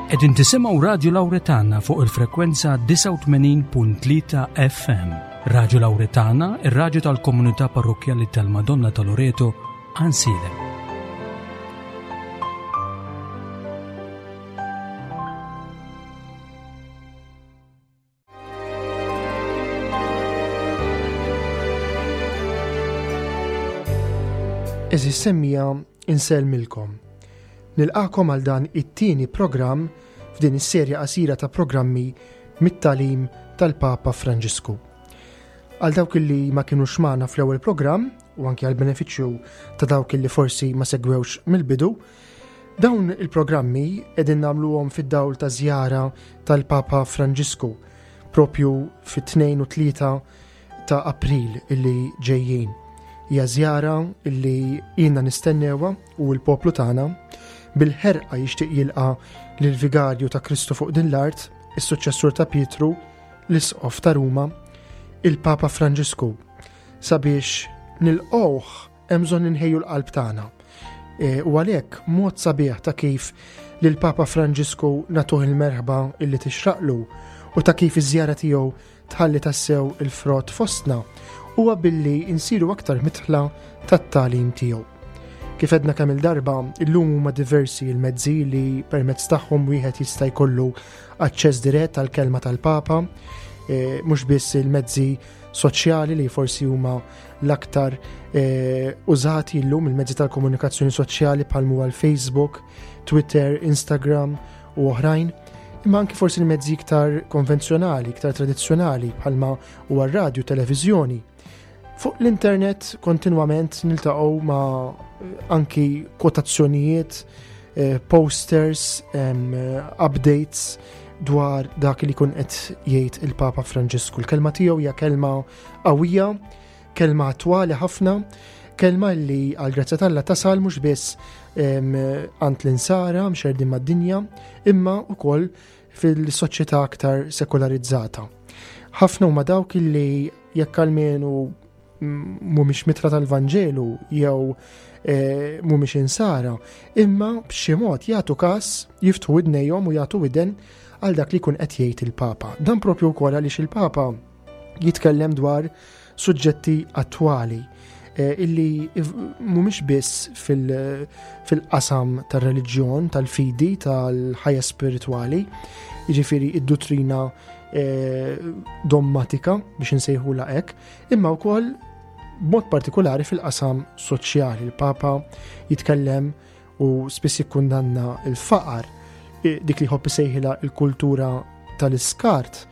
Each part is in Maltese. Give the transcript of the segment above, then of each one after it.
Qegħdin tisimgħu Radju Lawretana fuq il-frekwenza 89.3 FM. Radju Lawretana, ir-radju tal-komunità parrokkjali tal-Madonna ta' Loreto, Ansiedem. Eżis semmija insellmilkom. Nilqakom għal dan it-tieni programm f'din is-serja qasira ta' programmi mit-talim tal-Papa Franġisku. Għal dawk li ma kinux magħna fl-ewwel programm u anki għal benefiċċju ta' dawk li forsi ma segwewx mill-bidu, Dawn il-programmi qegħdin nagħmluhom fid-dawl ta' żjara tal-Papa Franġisku propju fit-2 u 3 ta' April illi ġejjin. Hija żjara illi ilna nistennewha u l-poplu tagħna bil-ħerqa jixtieq jilqa' lill-vigarju ta' Kristu fuq din l-art, is-suċċessur ta' Pietru, l-Isqof ta' Ruma, il-Papa Franġisku, sabiex nilqgħuh Hemm bżonn inħejju l-qalb tagħna. E, u għalhekk mod sabiħ ta' kif lil Papa Franġisku nagħtuh il-merħba illi tixraqlu u ta' kif iż-żjara tiegħu tħalli tassew il-frott fostna huwa billi insiru aktar mitħla tat-tagħlim tiegħu. Kif edna kemm il-darba, illum huma diversi l-mezzi li permezz tagħhom wieħed jista' jkollu aċċess dirett għall-kelma tal-Papa, e, mhux biss il-mezzi soċjali li forsi huma l-aktar eh, użati llum il-mezzi tal-komunikazzjoni soċjali bħal huwa l-Facebook, Twitter, Instagram u oħrajn, imma anki forsi l-mezzi iktar konvenzjonali, iktar tradizzjonali bħalma huwa r-radju, televiżjoni. Fuq l-internet kontinwament niltaqgħu ma' eh, anki kwotazzjonijiet, eh, posters, updates dwar dak li kun qed jgħid il-Papa Franġisku. Il-kelma tiegħu hija kelma qawwija, kelma attwali ħafna, kelma li għal grazzja t'Alla tasal mhux biss għand l-insara mxerdin mad-dinja, imma wkoll fil-soċjetà aktar sekularizzata. Ħafna huma dawk li jekk almenu mhumiex mitra tal-Vanġelu jew eh, mhumiex insara, imma b'xi mod jagħtu każ jiftħu idnejhom u jagħtu widen għal dak li jkun qed jgħid il-Papa. Dan propju wkoll għaliex il-Papa jitkellem dwar suġġetti attwali eh, illi mhumiex biss fil-qasam tar-reliġjon, tal-fidi, tal-ħajja spiritwali, jiġifieri id-duttrina eh, dommatika biex insejħula hekk, imma wkoll b'mod partikolari fil-qasam soċjali. Il-Papa jitkellem u spiss jikkundanna l-faqar, dik li jħobb isejħilha l-kultura tal-iskart,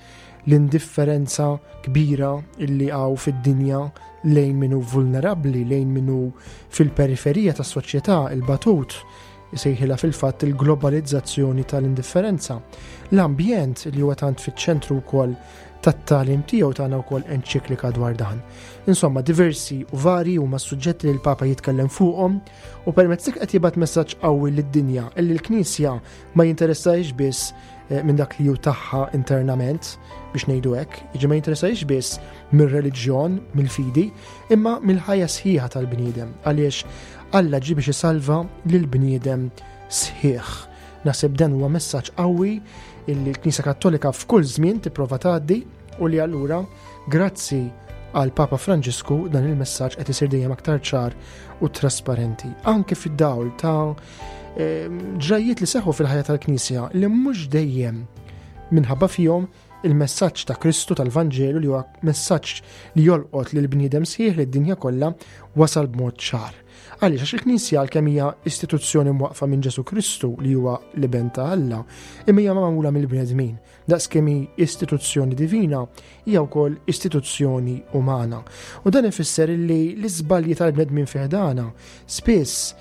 l-indifferenza kbira illi għaw fid-dinja lejn minu vulnerabli, lejn minu fil-periferija tas soċjetà il-batut, isejħilha fil-fatt il-globalizzazzjoni tal-indifferenza. L-ambjent li huwa tant fiċ-ċentru wkoll tat-tagħlim tiegħu tagħna wkoll enċiklika dwar dan. Insomma, diversi u vari huma s-suġġetti li l-Papa jitkellem fuqhom u permezz dik qed jibgħat messaġġ qawwi lid-dinja illi l-Knisja ma jinteressahiex biss eh, minn dak li hu tagħha internament biex ngħidu hekk, jiġi ma jinteressahiex biss mir-reliġjon, mill-fidi, imma mill-ħajja sħiħa tal-bniedem għaliex Alla ġie biex isalva lill-bniedem sħiħ. Naħseb dan huwa messaġġ qawwi illi l-Knisja Kattolika f'kull żmien tipprova tgħaddi u li allura grazzi għal Papa Franġisku dan il-messaġġ qed isir dejjem aktar ċar u trasparenti. Anke fid-dawl ta' ehm, ġrajiet li seħħu fil-ħajja tal-Knisja li mhux dejjem minħabba fihom il-messaġġ ta' Kristu tal-Vanġelu li huwa messaġġ li jolqot lil bniedem sħiħ lid-dinja kollha wasal b'mod ċar. Għaliex għax il-Knisja għalkemm hija istituzzjoni mwaqfa minn Ġesu Kristu li huwa l-iben ta' Alla, imma hija magħmula mill-bnedmin. Daqskemm hi istituzzjoni divina, hija wkoll istituzzjoni umana. U dan ifisser li l-iżbalji tal-bnedmin fiħdana spiss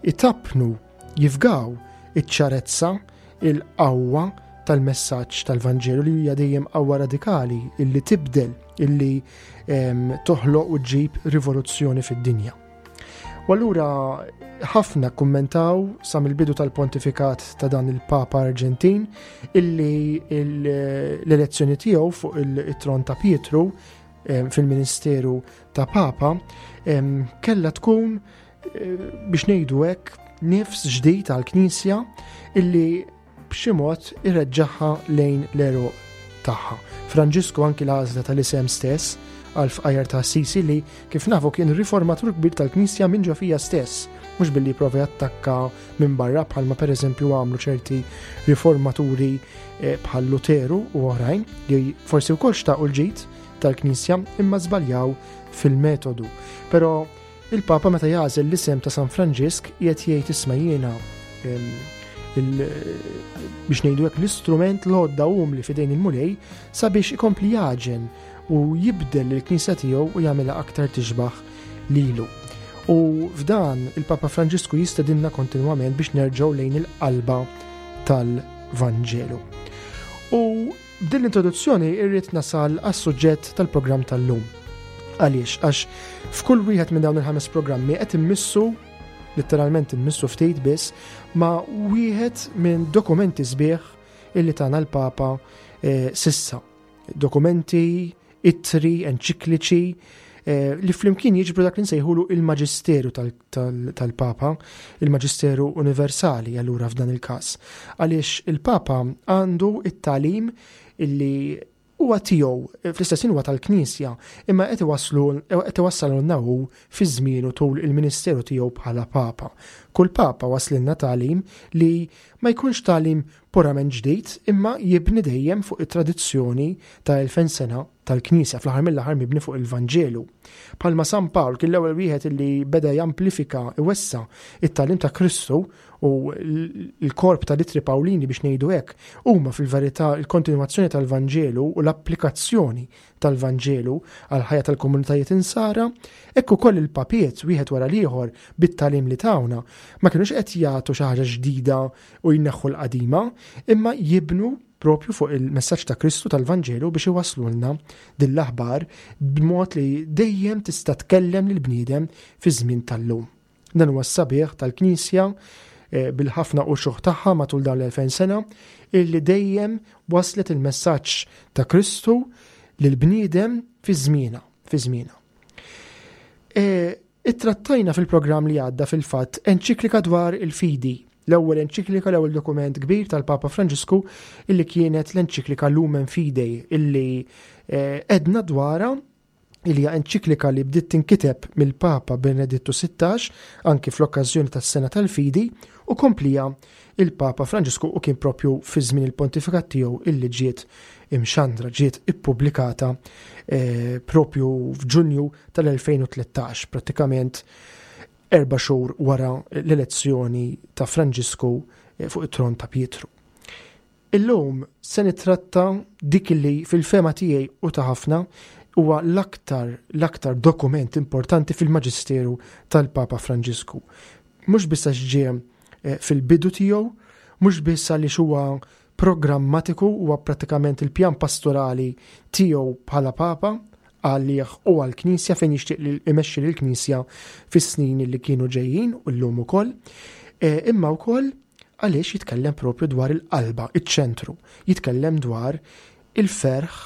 itappnu jifgaw iċ-ċarezza, il-qawwa tal-messaġġ tal-Vanġelu li hija dejjem qawwa radikali illi tibdel, illi ehm, toħloq u ġġib rivoluzzjoni fid-dinja. U allura ħafna kummentaw sa mill-bidu tal-pontifikat ta' dan il-Papa Arġentin illi l-elezzjoni tiegħu fuq il-tron ta' Pietru ehm, fil-ministeru ta' Papa ehm, kella tkun eh, biex ngħidu hekk nifs ġdid għall-Knisja illi b'xi mod ireġġagħha lejn l-għeruq tagħha. Franġisku anki l-għażla tal-isem stess għal fqajjar ta' Assisi li kif nafu kien riformatur kbir tal-Knisja minn ġo fija stess, mhux billi prova jattakka minn barra bħalma pereżempju għamlu ċerti riformaturi eh, bħal Luteru u oħrajn li forsi wkoll xtaqu l-ġid tal-Knisja imma żbaljaw fil-metodu. Però Il-Papa meta jagħżel l-isem ta' San Franġisk qiegħed jgħid isma' jiena biex ngħidu hekk l-istrument l-għodda umli f'idejn il-Mulej sabiex ikompli jaġen u jibdel il-Knisja tiegħu u jagħmilha aktar tixbaħ lilu. U f'dan il-Papa Franġisku jistedinna kontinwament biex nerġgħu lejn il-qalba tal-Vanġelu. U B'din l-introduzzjoni irrid nasal għas-suġġett tal-programm tal-lum. Għaliex? Għax f'kull wieħed minn dawn il-ħames programmi qed immissu letteralment immissu ftit biss ma' wieħed minn dokumenti sbieħ illi tana l-Papa eh, sissa. Dokumenti, ittri, enċikliċi, eh, li flimkien jiġbru dak li nsejħulu il-maġisteru tal-Papa, il-maġisteru universali allura f'dan il-każ. Għaliex il-Papa għandu it-talim illi huwa tiegħu, fl-istess huwa tal-Knisja, imma qed iwasslu qed iwassalulna hu fi żmienu tul il-ministeru tiegħu bħala Papa. Kull Papa waslilna tagħlim li ma jkunx tagħlim purament ġdid imma jibni dejjem fuq it-tradizzjoni ta' 2000 sena tal-Knisja, fl-aħħar mill-aħħar mibni fuq il-Vanġelu. Bħalma San Pawl kien l-ewwel wieħed li beda jamplifika iwessa it-tagħlim ta' Kristu u l-korp tal-ittri Pawlini biex ngħidu hekk huma fil-verità l-kontinwazzjoni tal-Vanġelu u l-applikazzjoni tal-Vanġelu għall-ħajja tal-komunitajiet insara, hekk ukoll il-papiet wieħed wara l-ieħor bit-tagħlim li tawna ma kinux qed jagħtu xi ħaġa ġdida u jneħħu l-qadima, imma jibnu propju fuq il-messaġġ ta' Kristu tal-Vanġelu biex iwasslulna din l-aħbar b'mod li dejjem tista' tkellem lill-bniedem fi żmien tal-lum. Dan huwa s-sabiħ tal-Knisja eh, bil-ħafna uċuħ tagħha matul dawn l-2000 sena illi dejjem waslet il-messaġġ ta' Kristu lill-bniedem fi żmiena, fi żmiena. Eh, Ittrattajna fil-programm li għadda fil-fatt enċiklika dwar il-fidi, l-ewwel enċiklika, l-ewwel dokument kbir tal-Papa Franġisku illi kienet l-enċiklika Lumen Fidei illi eh, edna dwarha illi hija enċiklika li bdiet tinkiteb mill-Papa Benedittu 16 anki fl-okkażjoni tas-sena tal-fidi u komplija il-Papa Franġisku u kien propju fi żmien il-pontifikat tiegħu illi ġiet imxandra, ġiet ippubblikata eh, propju f'Ġunju tal-2013, prattikament erba' xhur wara l-elezzjoni ta' Franġisku eh, fuq it-tron ta' Pietru. Illum se nittratta dik li fil-fema tiegħi u ta' ħafna huwa l-aktar l-aktar dokument importanti fil-Maġisteru tal-Papa Franġisku. Mhux biss għax ġie eh, fil-bidu tiegħu, mhux biss għaliex huwa programmatiku huwa prattikament il-pjan pastorali tiegħu bħala Papa għalih u għall-Knisja fejn jixtieq li imexxi lill-Knisja fis-snin li kienu ġejjin u llum ukoll, e, imma wkoll għaliex jitkellem propju dwar il-qalba, iċ-ċentru, jitkellem dwar il-ferħ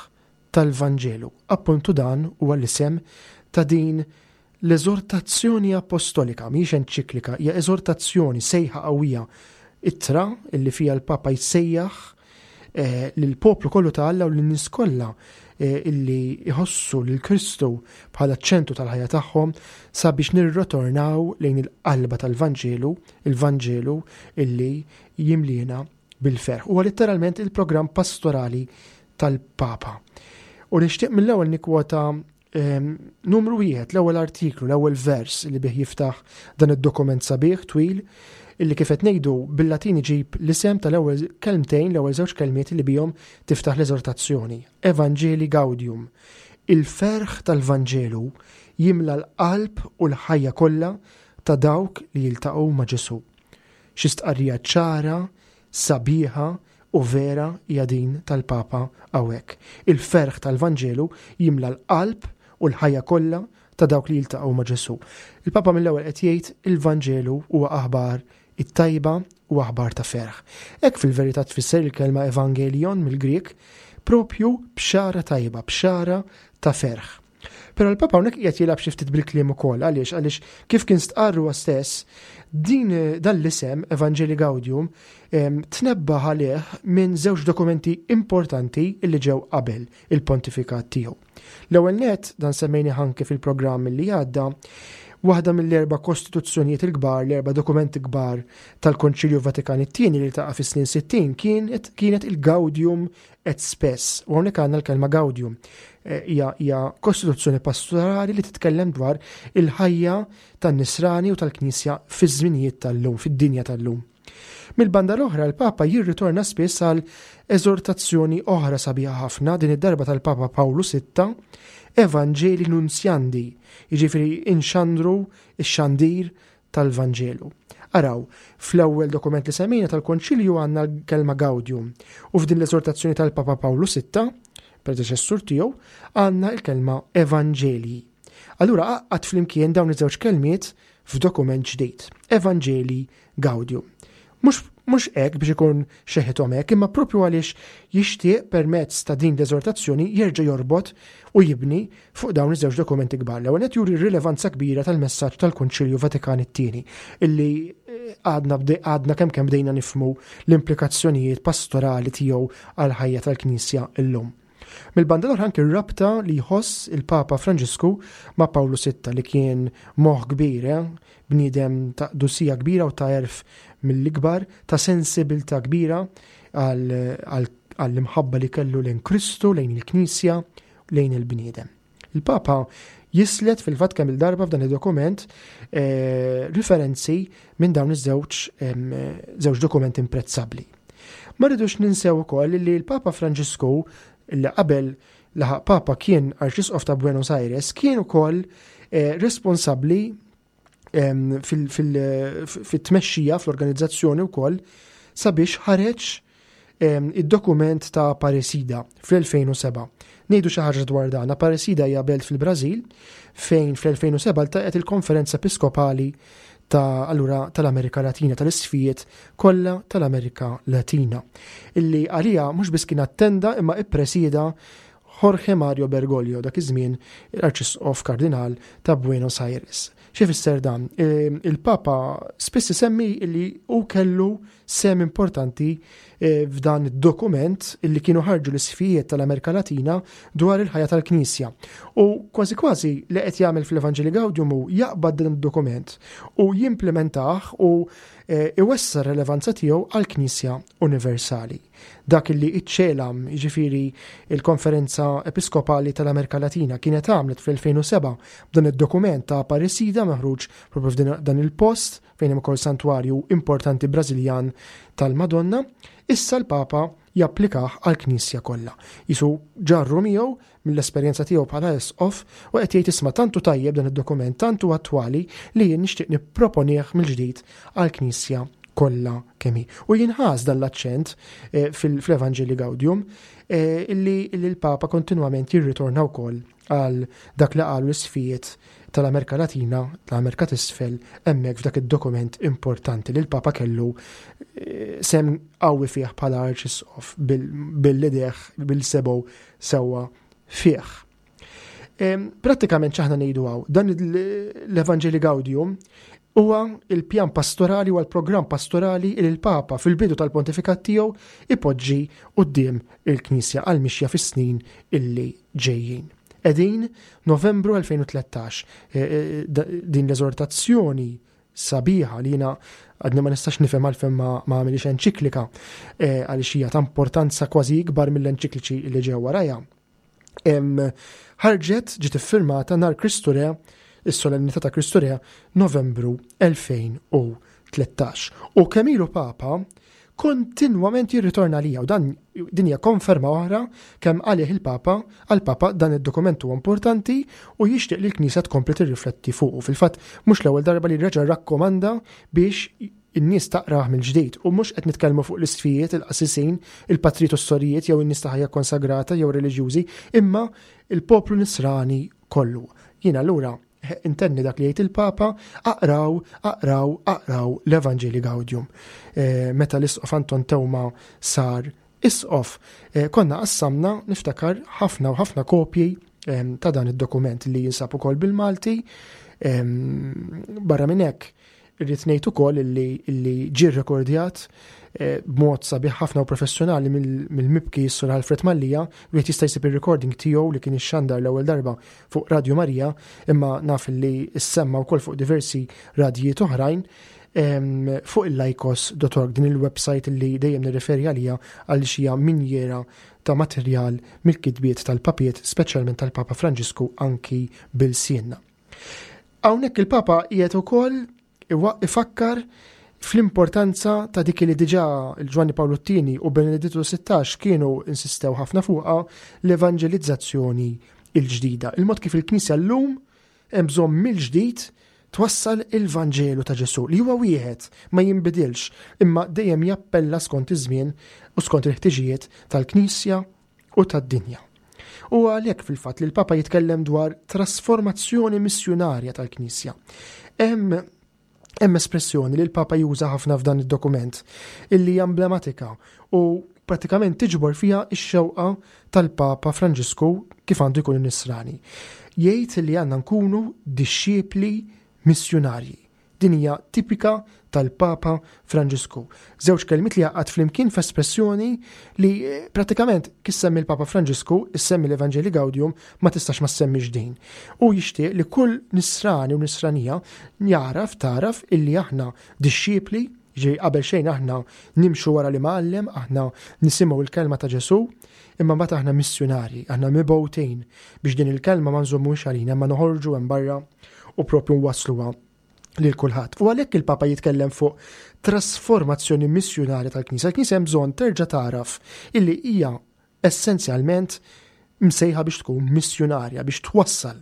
tal-Vanġelu. Appuntu dan huwa l-isem ta' din l-eżortazzjoni apostolika, mhijiex enċiklika, hija eżortazzjoni, sejħa qawwija, ittra illi fiha l-Papa jsejjaħ eh, lill-poplu kollu ta' Alla u lin-nies kollha eh, illi jħossu lil Kristu bħala ċentru tal-ħajja tagħhom sabiex nirritornaw lejn il-qalba tal-Vanġelu, il-Vanġelu illi jimliena bil-ferħ. Huwa letteralment il-programm pastorali tal-Papa. U nixtieq mill-ewwel nikkwota Numru wieħed, l-ewwel artiklu, l-ewwel vers li bih jiftaħ dan id-dokument sabiħ twil illi kif qed ngħidu bil-Latin iġib l-isem tal-ewwel kelmtejn, l-ewwel żewġ kelmiet li bihom tiftaħ l-eżortazzjoni. Evangelii Gaudium. Il-ferħ tal-Vanġelu jimla l-qalb u l-ħajja kollha ta' dawk li jiltaqgħu ma' Ġesù. Xi stqarrija ċara, sabiħa u vera hija din tal-Papa hawnhekk. Il-ferħ tal-Vanġelu jimla l-qalb u l-ħajja kollha ta' dawk li jiltaqgħu ma' Ġesù. Il-Papa mill-ewwel qed jgħid il-Vanġelu huwa aħbar it-tajba u aħbar ta' ferħ. Hekk fil-verità tfisser il-kelma evangelion mill-Grieg, propju bxara tajba, bxara ta' ferħ. Però l-Papa hawnhekk qiegħed jilgħab xi ftit bil-kliem ukoll għaliex għaliex kif kien stqarr huwa stess din dan l-isem Evangelii Gaudium tnebbaħ għalih minn żewġ dokumenti importanti li ġew qabel il-pontifikat tiegħu. L-ewwel nett dan semmejnih anke fil-programm li għadda, waħda mill-erba' kostituzzjonijiet il-kbar, l-erba' dokumenti kbar tal-Konċilju Vatikan it-tieni li taqa' fis-snin 60 kienet kienet il-Gaudium et Spes. U hawnhekk għandna l-kelma Gaudium. Eh, hija hija kostituzzjoni pastorali li titkellem dwar il-ħajja tan-nisrani u tal-Knisja fiż-żminijiet tal-lum, fid-dinja tal-lum. Mill-banda l-oħra l-Papa jirritorna spiss għal eżortazzjoni oħra sabiħa ħafna, din id-darba tal-Papa Pawlu VI, Evangelii Nunziandi, jiġifieri inxandru x-xandir tal-Vanġelu. Araw, fl-ewwel dokument li semmejna tal-Konċilju għandna l-kelma Gaudium u f'din l-eżortazzjoni tal-Papa Pawlu VI, predeċessur tiegħu, għandna l-kelma Evangelii. Allura għaqqad flimkien dawn iż-żewġ kelmiet f'dokument ġdid, Evangelii Gaudium. Mhux mhux hekk biex ikun xeħithom hekk, imma propju għaliex jixtieq permezz ta' din l-eżortazzjoni jerġa' jorbot u jibni fuq dawn iż-żewġ dokumenti kbar. L-ewwel qed juri r-rilevanza kbira tal-messaġġ tal-Kunċilju Vatikan it-tieni illi eh, għadna għadna kemm kemm bdejna nifhmu l-implikazzjonijiet pastorali tiegħu għall-ħajja tal-Knisja llum. Mill-banda l-oħra anki r-rabta li jħoss il-Papa Franġisku ma' Pawlu Sitta li kien moħħ kbir, eh? bniedem ta' qdusija kbira u ta' għerf mill-ikbar, ta' sensibilità kbira għall-imħabba li kellu lejn Kristu, lejn il-Knisja, lejn il-bniedem. Il-Papa jislet fil-fatt kemm il-darba f'dan id-dokument eh, riferenzi minn dawn iż-żewġ żewġ dokumenti imprezzabbli. Ma rridux ninsew ukoll li l-Papa Franġisku li qabel laħaq Papa kien Arċisqof ta' Buenos Aires kien ukoll eh, responsabbli fit-tmexxija fl-organizzazzjoni wkoll sabiex ħareġ id-dokument ta' Aparecida fl-2007. Ngħidu xi ħaġa dwar dan. Aparecida hija belt fil-Brażil fejn fl-2007 ltaqgħet il-Konferenza Episkopali ta' allura tal-Amerika Latina, tal-isfijiet kollha tal-Amerika Latina. Illi għalija mhux biss kien attenda imma ippresida Jorge Mario Bergoglio, dak iż-żmien l-Arċisqof Kardinal ta' Buenos Aires. Xi fisser dan? Ehm, il-Papa spiss isemmi li hu kellu sem importanti eh, f'dan id-dokument li kienu ħarġu l-isfijiet tal-Amerika Latina dwar il-ħajja tal-Knisja. U kważi kważi li qed jagħmel fl-Evanġeli Gaudium hu jaqbad dan id-dokument u jimplementah u eh, iwessa r-relevanza tiegħu għall-Knisja Universali. Dak li iċ-CELAM, jiġifieri il-Konferenza Episkopali tal-Amerika Latina, kienet għamlet fl-2007 b'dan id-dokument ta' Aparecida maħruġ propju f'dan il-post fejn hemm ukoll santwarju importanti Brażiljan tal-Madonna, issa l-Papa japplikah għall-Knisja kollha. Jisu ġarru miegħu mill-esperjenza tiegħu bħala isqof u qed jgħid isma' tantu tajjeb dan id-dokument, tantu attwali li jien nixtieq nipproponih mill-ġdid għall-Knisja kollha kemm hi. U jinħass dan l-aċċent eh, fl-Evanġeli Gaudium eh, illi l-Papa kontinwament jirritorna wkoll għal dak li qalu l-isfijiet tal-Amerika Latina, tal-Amerika t'Isfel, hemmhekk f'dak id-dokument importanti li l-Papa kellu eh, sem qawwi fih bħala arċisqof bil-lideħ, bil-sebow sewwa fih. Prattikament x'aħna ngħidu hawn, dan l-Evanġeli Gaudium huwa il-pjan pastorali u l-programm pastorali li l-Papa fil-bidu tal-pontifikat tiegħu ipoġġi quddiem il-Knisja għal mixja fis-snin illi ġejjin. Edin Novembru 2013 e, e, din l-eżortazzjoni sabiħa li jiena għadni ma nistax nifhem għalfejn ma għamilix enċiklika eh, għaliex hija ta' importanza kważi ikbar mill-enċikliċi li ġew warajha. Ħarġet ġiet iffirmata nhar Kristu Re, is-solennità ta' Kristu Re, Novembru 2013. U kemm ilu Papa kontinwament jirritorna lija u dan din hija konferma oħra kemm għalih il-Papa għall-Papa dan id-dokument huwa importanti u jixtieq li l-Knisja tkompli tirrifletti fuqu. Fil-fatt mhux l-ewwel darba li reġa' rakkomanda biex in-nies taqrah mill-ġdid u mhux qed nitkellmu fuq l-isfijiet, il-qassisin, il-patrijiet u s-sorijiet jew in-nies ta' ħajja konsagrata jew reliġjużi, imma il-poplu nisrani kollu. Jien allura Intenni dak li jgħid il-Papa, aqraw, aqraw, aqraw l-Evanġeli Gaudium. Eh, meta l-Isqof Anton Teuma sar isqof, eh, konna qassamna niftakar ħafna u ħafna kopji ta' dan id-dokument li jinsab ukoll bil-Malti. Barra minn hekk, irrid ngħid ukoll illi ġie rrekordjat eh, b'mod sabiħ ħafna u professjonali mill-mibki s-Sur Alfred Mallia, wieħed jista' jsib ir-recording tiegħu li kien ixxandar l-ewwel darba fuq Radio Marija, imma naf li ssemma wkoll fuq diversi radjijiet oħrajn fuq il-laikos.org din il-website li dejjem nirreferi għalija għaliex hija minjera ta' materjal mill-kitbiet tal-papiet, speċjalment tal-Papa Franġisku anki bil-sienna. Hawnhekk il-Papa qiegħed ukoll ifakkar fl-importanza ta' dik li diġà il-Ġwanni Pawlu t-Tieni u Benedittu 16 kienu insistew ħafna fuqha l-evanġelizzazzjoni il-ġdida. Il-mod kif il-Knisja llum Hemm bżonn mill-ġdid twassal il-Vanġelu ta' Ġesù li huwa wieħed, ma jinbidilx, imma dejjem jappella skont iż-żmien u skont il-ħtiġijiet tal-Knisja u tad-dinja. U għalhekk fil-fatt li l-Papa jitkellem dwar trasformazzjoni missjunarja tal-Knisja. Hemm Hemm espressjoni li l-Papa juża ħafna f'dan id-dokument illi hija emblematika u pratikament tiġbor fiha x-xewqa tal-Papa Franġisku kif għandu jkun in-Nisrani. Jgħid li għandna nkunu dixxiepli missjunarji. Din hija tipika tal-Papa Franġisku. Żewġ kelmiet li jgħaqqad flimkien f'espressjoni li eh, pratikament kif semmi l-Papa Franġisku, issemmi l-Evanġeli Gaudium, ma tistax ma semmix din. U jixtieq li kull nisrani u nisranija jaraf taraf illi aħna dixxipli, ġej qabel xejn aħna nimxu wara li mgħallem, aħna nisimgħu l-kelma ta' Ġesù, imma mbagħad aħna missjunarji, aħna mibgħutin biex din il-kelma ma nżommux għalina, ma noħorġu hemm barra u propju nwassluha lil kulħadd. U għalhekk il-Papa jitkellem fuq trasformazzjoni missjunarja tal-Knisja. Il-Knisja hemm bżonn terġa' tagħraf illi hija essenzjalment msejħa biex tkun missjunarja, biex twassal.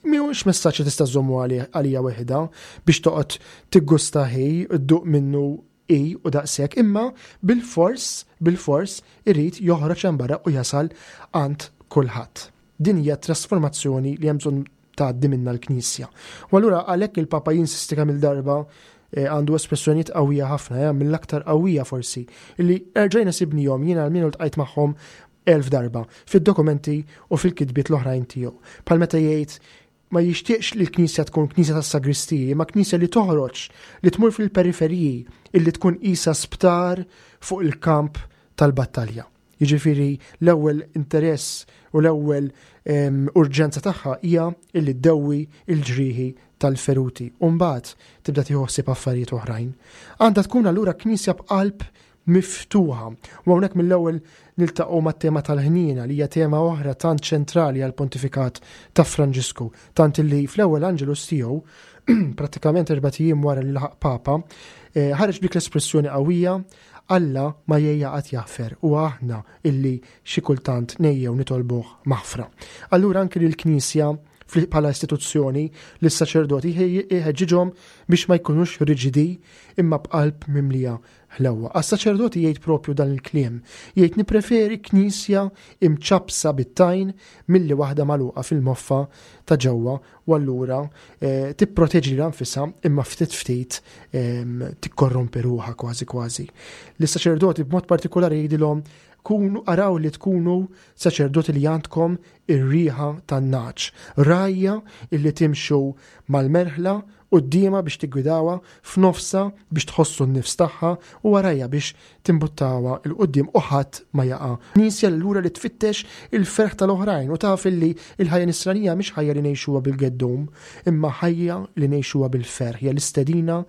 Mhuwiex messaġġ li tista' żommu għalija weħida biex toqgħod tiggusta ħi, dduq minnu hi u daqshekk, imma bilfors, bilfors irid joħroġ hemm barra u jasal għand kulħadd. Din hija trasformazzjoni li hemm bżonn tgħaddi minnha l-Knisja. U allura għalhekk il-Papa jinsisti kemm il-darba eh, għandu espressjonijiet qawwija ħafna, eh, mill-aktar qawwija forsi, illi erġajna sibnihom jiena għal ltqajt magħhom elf darba fid-dokumenti u fil-kitbiet l-oħrajn tiegħu. Bħal meta jgħid ma jixtieqx li l-Knisja tkun Knisja tas-sagristiji, ma Knisja li toħroġ, li tmur fil-periferiji, illi tkun qisha sptar fuq il-kamp tal-battalja. Jiġifieri l-ewwel interess u l-ewwel urġenza tagħha hija illi ddewwi l-ġrieħi tal-feruti u mbagħad tibda tieħu ħsieb affarijiet oħrajn. Għandha tkun allura knisja b'qalb miftuħa. U hawnhekk mill-ewwel niltaqgħu mat-tema tal-ħniena li hija tema oħra tant ċentrali għall-pontifikat ta' Franġisku, tant illi fl-ewwel Angelus tiegħu prattikament erbat ijiem wara li laħaq Papa, eh, ħareġ b'dik l-espressjoni qawwija Alla ma jgħejja qatt jaħfer u aħna illi xi kultant ngħejjew nitolbuh maħfra. Allura anki lill-Knisja bħala istituzzjoni lis-saċerdoti jħeġġiġhom biex ma jkunux riġidi imma b'qalb mimlija ħlewwa. Għas-saċerdoti jgħid propju dan il-kliem. Jgħid nippreferi knisja imċappsa bit-tajn milli waħda magħluqa fil-moffa ta' ġewwa u allura eh, tipproteġi lilha nfisha imma ftit ftit ehm, tikkorrompi ruħha kważi kważi. Lis-saċerdoti b'mod partikolari jgħidilhom kunu araw li tkunu saċerdoti li għandkom ir-riħa tan-naċ, rajja illi timxu mal-merħla quddiemha biex tiggwidawha, f'nofsha biex tħossu n-nifs tagħha u warajha biex timbuttawha 'l quddiem u ħadd ma jaqa'. Knisja allura li tfittex il-ferħ tal-oħrajn u taf illi l-ħajja nisranija mhix ħajja li ngħixuha bil-geddum, imma ħajja li ngħixuha bil-ferħ, hija l-istedina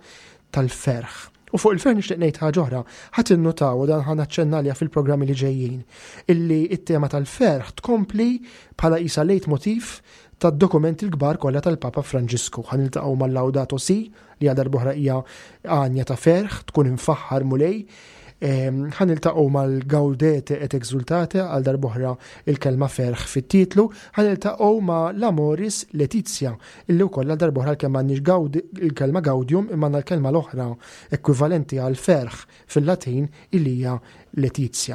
tal-ferħ. U fuq il-ferħ nixtieq ngħid ħaġa oħra, ħa tinnutaw u dan ħa naċċenna għaliha fil-programmi li ġejjin, illi t-tema tal-ferħ tkompli bħala qisha leitmotiv tad-dokumenti l-kbar kollha tal-Papa Franġisku. Ħa niltaqgħu mal-Laudato Si, li għal darb'oħra hija għanja ta' ferħ, tkun imfaħħar Mulej. Ehm, ħa niltaqgħu mal-Gaudete et Exultate għal darb'oħra il-kelma ferħ fit-titlu, ħa niltaqgħu ma' l-Amoris Laetitia, illi wkoll għal darb'oħra l-kelma għandniex il-kelma Gaudium imma għandna l-kelma l-oħra ekwivalenti għal ferħ fil-Latin illi hija Letizia.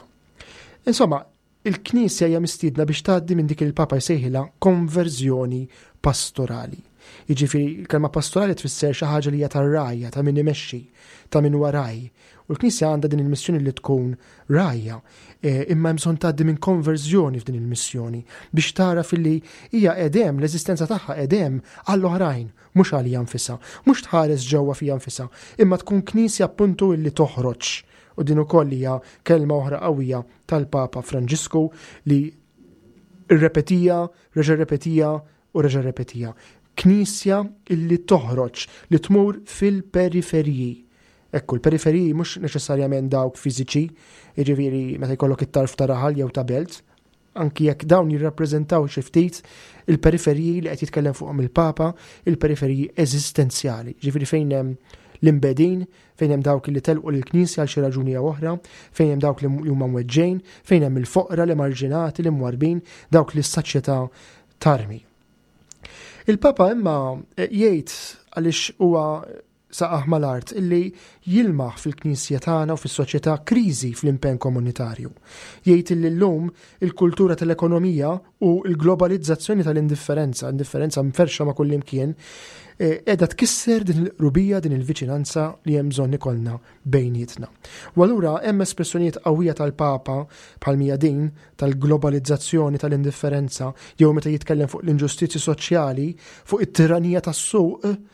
Insomma, Il-Knisja hija mistiedna biex tgħaddi minn dik li l-Papa jsejħilha konverżjoni pastorali. Jiġifieri l-kelma pastorali tfisser xi ħaġa li hija tar-rgħajja, ta' min imexxi, ta' min huwa ragħaj. U l-Knisja għandha din il-missjoni li tkun rgħajja, e, imma hemm bżonn tgħaddi minn konverżjoni f'din il-missjoni biex tara filli hija qegħdem, l-eżistenza tagħha qegħdem għall-oħrajn, mhux għalija nfisha, mhux tħares ġewwa fija nfisha, imma tkun Knisja appuntu illi toħroġ. U din ukoll hija kelma oħra qawwija tal-Papa Franġisku li rrepetija, reġa' rrepetija u reġa' rrepetija. Knisja illi toħroġ, li tmur fil-periferiji. Ekku, l-periferiji mhux neċessarjament dawk fiżiċi, jiġifieri meta jkollok it-tarf ta' raħal jew ta' belt, anki jekk dawn jirrappreżentaw xi ftit il-periferiji li qed jitkellem fuqhom il-Papa, il-periferiji eżistenzjali, ġifieri fejn hemm l-imbedin, fejn hemm dawk li telqu lill-Knisja għal xi raġuni jew oħra, fejn hemm dawk li huma mweġġejn, fejn hemm il-foqra, l-emarġinati, l-imwarbin, dawk li s-soċjetà tarmi. Il-Papa imma eh, jgħid għaliex huwa saqaħ mal-art illi jilmaħ fil-Knisja tagħna u fis-soċjetà kriżi fl-impenn komunitarju. Jgħid illi llum il-kultura tal-ekonomija u l-globalizzazzjoni tal-indifferenza, indifferenza mferxa ma' kullimkien, eh, qiegħda tkisser din il-qrubija, din il-viċinanza li hemm bżonn ikollna bejnietna. U allura hemm espressjonijiet qawwija tal-Papa bħal mija din tal-globalizzazzjoni tal-indifferenza jew meta jitkellem fuq l-inġustizzji soċjali, fuq it-tiranija tas-suq,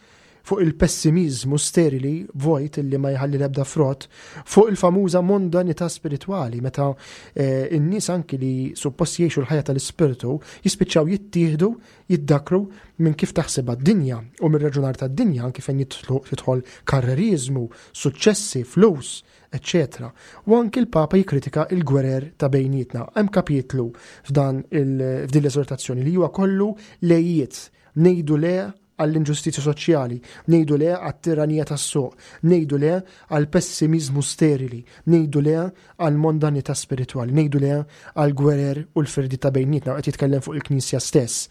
fuq il-pessimiżmu sterili, vojt illi ma jħalli l-ebda frott, fuq il-famuża mondanità spiritwali meta eh, n-nies anki li suppost jgħixu l-ħajja tal-ispirtu jispiċċaw jittieħdu, jiddakru minn kif taħsibha d-dinja u mir-raġunar tad-dinja anki fejn jidħol karreriżmu, suċċessi, flus, eċċetera. U anki l-Papa jikkritika il-gwerer ta' bejnietna. Hemm kapitlu f'dan f'din l-eżortazzjoni li huwa kollu lejiet, ngħidu le għall-inġustizzja soċjali, ngħidu le għat-tiranija tas-suq, ngħidu le għall-pessimiżmu sterili, ngħidu le għall-mondanità spiritwali, ngħidu le għall-gwerer u l-firdi ta' bejnietna, qed jitkellem fuq il-Knisja stess.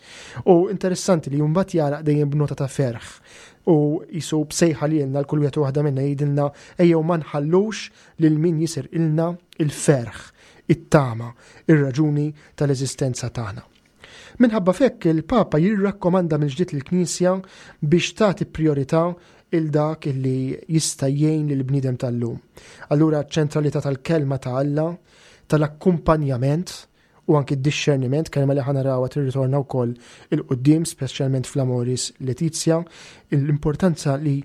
U interessanti li mbagħad jagħlaq dejjem b'nota ta' ferħ u jisu b'sejħa li lilna l-kull wieħed u waħda minna jgħidilna ejjew ma nħallux lil min jisirqilna il-ferħ, it-tama, ir-raġuni tal-eżistenza tagħna. Minħabba f'hekk il-Papa jirrakkomanda mill-ġdid lill-Knisja biex tagħti prijorità il dak li jista' jgħin lill-bniedem tal-lum. Allura ċ-ċentralità tal-kelma ta' Alla, tal-akkumpanjament u anki d-dixxerniment, kelma li ħa narawha tirritorna wkoll il-quddiem, speċjalment fl-Amoris Laetitia, l-importanza li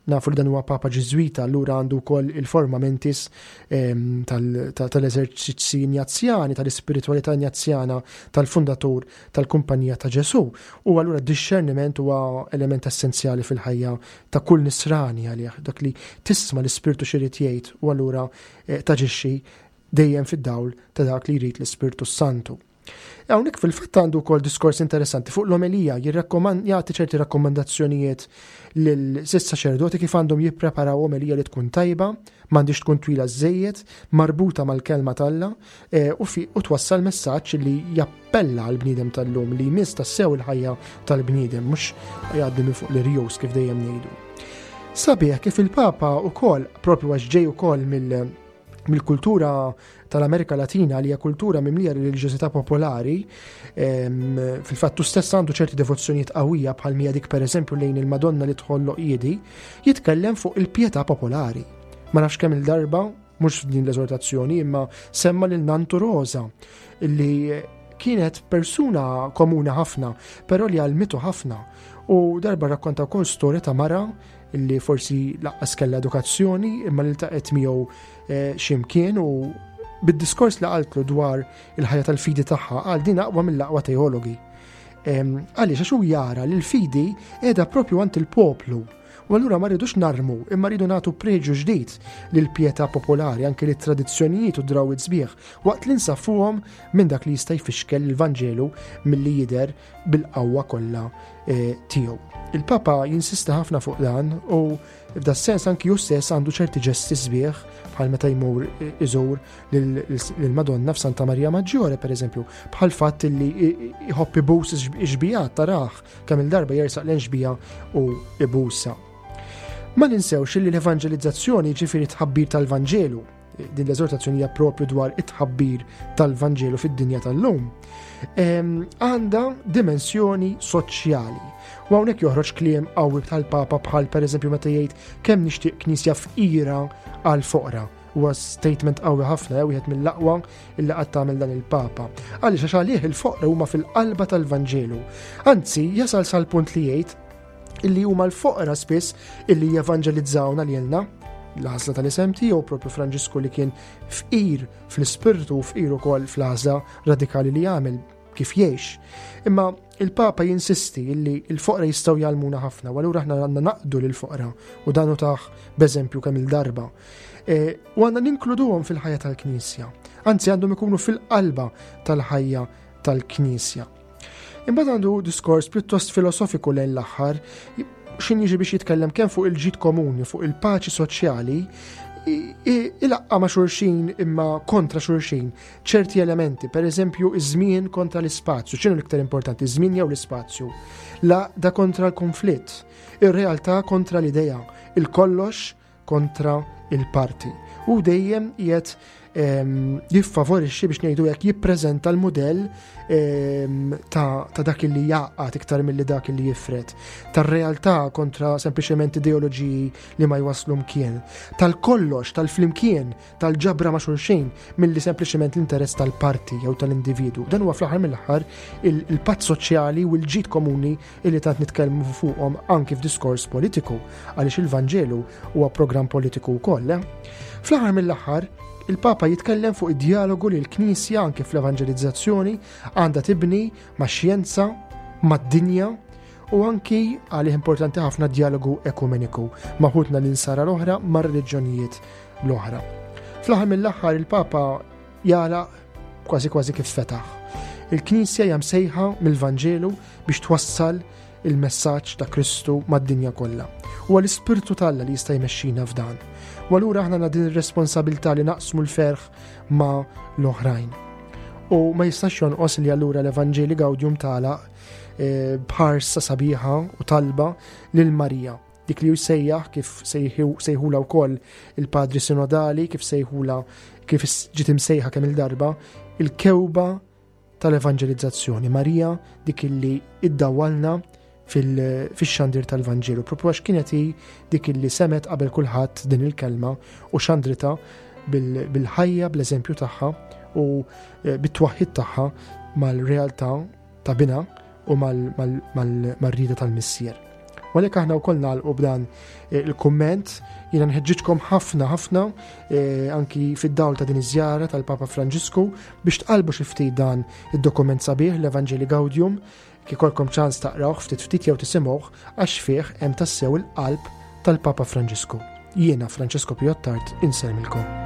Nafu li dan huwa Papa Ġiżwita, allura għandu wkoll il-forma mentis ehm, tal-eżerċizzi Injazjani, tal-ispiritwalità Injazjana tal-fundatur tal-Kumpanija ta' Ġesù. U allura d-dixxerniment huwa element essenzjali fil-ħajja ta' kull nisrani għalih, dak li tisma' l-ispirtu x'irid jgħid u allura eh, taġixxi dejjem fid-dawl ta' dak li jrid l-Ispirtu Santu. Hawnhekk fil-fatt għandu wkoll diskors interessanti fuq l-omelija, jagħti ċerti rakkomandazzjonijiet lil saċerdoti kif għandhom jippreparaw omelija li tkun tajba, m'għandix tkun twila żejjed, marbuta mal-kelma t'Alla eh, u, u twassal messaġġ li jappella għal bniedem tal-lum li jmiss tassew il-ħajja tal-bniedem mhux jgħaddi minn fuq l-irjus kif dejjem ngħidu. Sabiħ kif il-Papa ukoll propju għax ġej ukoll mill mill-kultura tal-Amerika Latina li hija kultura mimlija reliġjożità popolari, fil-fatt tu stess għandu ċerti devozzjonijiet qawwija bħal mija dik pereżempju lejn il-Madonna li tħolloq jiedi, jitkellem fuq il-pjetà popolari. Ma nafx kemm il-darba, mhux f'din l-eżortazzjoni, imma semma lil Nantu Rosa li kienet persuna komuna ħafna, però li għalmitu ħafna. U darba rakkonta wkoll storja ta' mara li forsi laqqas kellha edukazzjoni imma li ltaqgħet miegħu eh, x'imkien u bid-diskors li qaltlu dwar il-ħajja tal-fidi tagħha għal din aqwa mill-aqwa teologi. Għaliex għax hu jara li l-fidi qiegħda propju għand il-poplu. U allura ma rridux narmu, imma rridu nagħtu preġu ġdid lil pietà popolari anke lit tradizzjonijiet u drawwiet sbieħ waqt li nsaffuhom minn dak li jista' jfixkel il-Vanġelu milli jidher bil-qawwa kollha eh, tiegħu. Il-Papa jinsisti ħafna fuq dan u f'da sens anki hu stess għandu ċerti ġesti sbieħ bħal meta jmur eh, iżur lill-Madonna f'Santa Maria Maggiore pereżempju, bħal fatt li jħobb ibus ix-xbijat taraħ kemm il-darba jersaq l-xbija u ibusa. Ma ninsewx li l-evanġelizzazzjoni ġifieri tħabbir tal-Vanġelu. Din l-eżortazzjoni hija propju dwar it-tħabbir tal-Vanġelu fid-dinja tal-lum. Għandha dimensjoni soċjali. U hawnhekk joħroġ kliem qawwi tal-Papa bħal pereżempju meta jgħid kemm nixtieq knisja fqira għal foqra. Huwa statement qawwi ħafna, eh, wieħed mill-aqwa illi qatt tagħmel dan il-Papa. Għaliex għax għalih il-foqra huma fil-qalba tal-Vanġelu. Anzi, jasal sal-punt li jgħid illi huma l-foqra spiss illi jevanġelizzawna lilna l-għażla tal-isem tiegħu propju Franġisku li kien fqir fl-ispirtu u fqir ukoll fl-għażla radikali li għamel kif jgħix. Imma il-Papa jinsisti illi l-foqra jistgħu jgħallmuna ħafna, u allura aħna għandna naqdu lill-foqra u dan hu tah b'eżempju kemm il-darba. E, u għandna ninkluduhom fil-ħajja tal-Knisja. Anzi għandhom ikunu fil-qalba tal-ħajja tal-Knisja. Imbagħad għandu diskors pjuttost filosofiku lejn l-aħħar, xin jiġi biex jitkellem kemm fuq il-ġid komuni, fuq il-paċi soċjali, ilaqqa ma' xulxin imma kontra xulxin ċerti elementi, per eżempju iż-żmien kontra l-ispazju, x'inhu l-iktar importanti, iż-żmien jew l-ispazju, l-għaqda kontra l-konflitt, ir-realtà kontra l-idea, il-kollox kontra il-parti. U dejjem qiegħed ehm, jiffavorixxi biex ngħidu hekk jippreżenta l-mudell ehm, ta', ta dak li jaqgħad iktar milli dak li jifred, tar-realtà kontra sempliċement ideoloġiji li ma jwaslu mkien, tal-kollox, tal-flimkien tal-ġabra ma' xulxin milli sempliċement l-interess tal-parti jew tal-individu. Dan huwa fl-aħħar mill-aħħar il-patt soċjali u l-ġid komuni illi tant nitkellmu fuqhom anki f'diskors politiku għaliex il-Vanġelu huwa programm politiku wkoll. Eh? Fl-aħħar mill-aħħar, il-Papa jitkellem fuq id-dialogu li l-Knisja anke fl-evanġelizzazzjoni għandha tibni ma' xjenza, mad-dinja u anki għalih importanti ħafna dialogu ekumeniku ma' ħutna l-insara l-oħra ma' reliġjonijiet l-oħra. Fl-aħħar mill-aħħar il-Papa jagħlaq kważi kważi kif fetaħ. Il-Knisja hija msejħa mill-Vanġelu biex twassal il-messaġġ ta' Kristu mad-dinja kollha. Huwa l-Ispirtu t'Alla li jista' jmexxina f'dan. U allura aħna għandna din ir-responsabilità li naqsmu l-ferħ ma' l-oħrajn. U ma jistax jonqos li allura l-Evanġeli Gaudium tagħlaq eh, b'ħarsa sabiħa u talba lil Marija Dik li hu jsejjaħ kif sejħula wkoll il-padri sinodali, kif sejħula kif ġiet imsejħa kemm il-darba, il-kewba tal-evanġelizzazzjoni. Marija dik illi iddawwalna fil-xandir tal-Vanġelu, propju għax kienet hi dik illi semet qabel kulħadd din il-kelma u xandrita bil-ħajja, bl-eżempju tagħha u eh, bit-twaħħid tagħha mal-realtà ta' binha u mal-rieda tal-Missier. U għalhekk aħna wkoll nagħlqu b'dan eh, il-kumment jiena nħeġġiġkom ħafna ħafna eh, anki fid-dawl ta' din iż-żjara tal-Papa Franġisku biex tqalbu xi ftit dan id-dokument sabiħ l-Evanġeli Gaudium kikolkom ċans taqrawh ftit ftit jew tisimgħuh għax fih hemm tassew il-qalb tal-Papa Franġisku. Jiena Francesco Piottart insellmilkom.